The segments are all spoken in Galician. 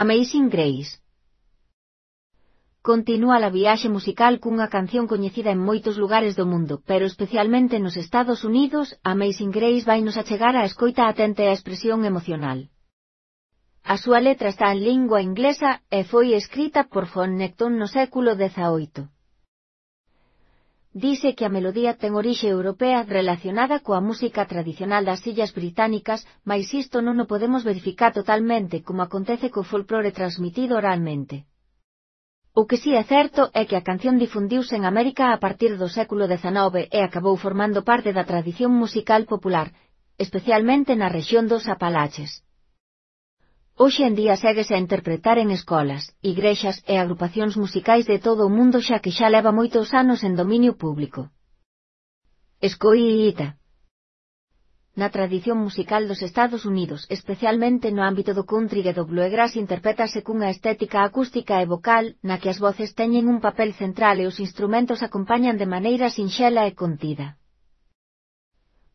Amazing Grace. Continúa a viaxe musical cunha canción coñecida en moitos lugares do mundo, pero especialmente nos Estados Unidos, Amazing Grace vainos achegar a escoita atenta e a expresión emocional. A súa letra está en lingua inglesa e foi escrita por Phoneton no século XVIII. Dice que a melodía ten orixe europea relacionada coa música tradicional das Illas Británicas, mais isto non o podemos verificar totalmente como acontece co folclore transmitido oralmente. O que si é certo é que a canción difundiuse en América a partir do século XIX e acabou formando parte da tradición musical popular, especialmente na rexión dos Apalaches. Hoxe en día séguese a interpretar en escolas, igrexas e agrupacións musicais de todo o mundo xa que xa leva moitos anos en dominio público. Escoita. Na tradición musical dos Estados Unidos, especialmente no ámbito do country e do bluegrass, interprétase cunha estética acústica e vocal, na que as voces teñen un papel central e os instrumentos acompañan de maneira sinxela e contida.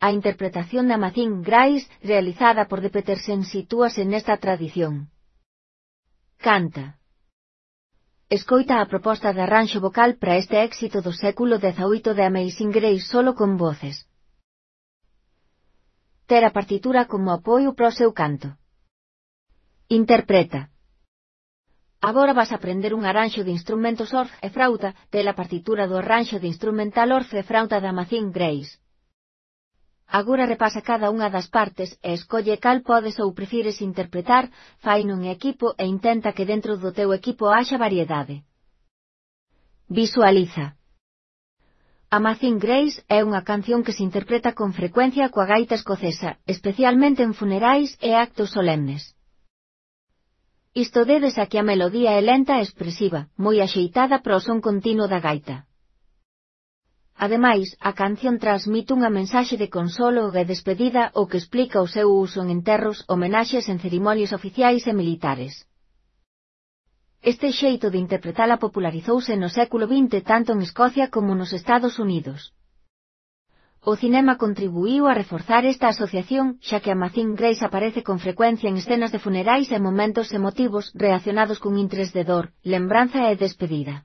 A interpretación de Amazing Grace, realizada por The Petersen, sitúase nesta tradición. Canta. Escoita a proposta de arranxo vocal para este éxito do século XVIII de Amazing Grace solo con voces. Ter a partitura como apoio para o seu canto. Interpreta. Agora vas a aprender un arranxo de instrumentos org e frauta, ter a partitura do arranxo de instrumental org e frauta de Amazing Grace. Agora repasa cada unha das partes e escolle cal podes ou prefires interpretar, faino en equipo e intenta que dentro do teu equipo haxa variedade. Visualiza. Amazing Grace é unha canción que se interpreta con frecuencia coa gaita escocesa, especialmente en funerais e actos solemnes. Isto débese a que a melodía é lenta e expresiva, moi axeitada para o son continuo da gaita. Ademais, a canción transmite unha mensaxe de consolo e despedida o que explica o seu uso en enterros, homenaxes en cerimonias oficiais e militares. Este xeito de interpretala popularizouse no século XX tanto en Escocia como nos Estados Unidos. O cinema contribuíu a reforzar esta asociación, xa que Amazing Grace aparece con frecuencia en escenas de funerais e momentos emotivos relacionados con intres de dor, lembranza e despedida.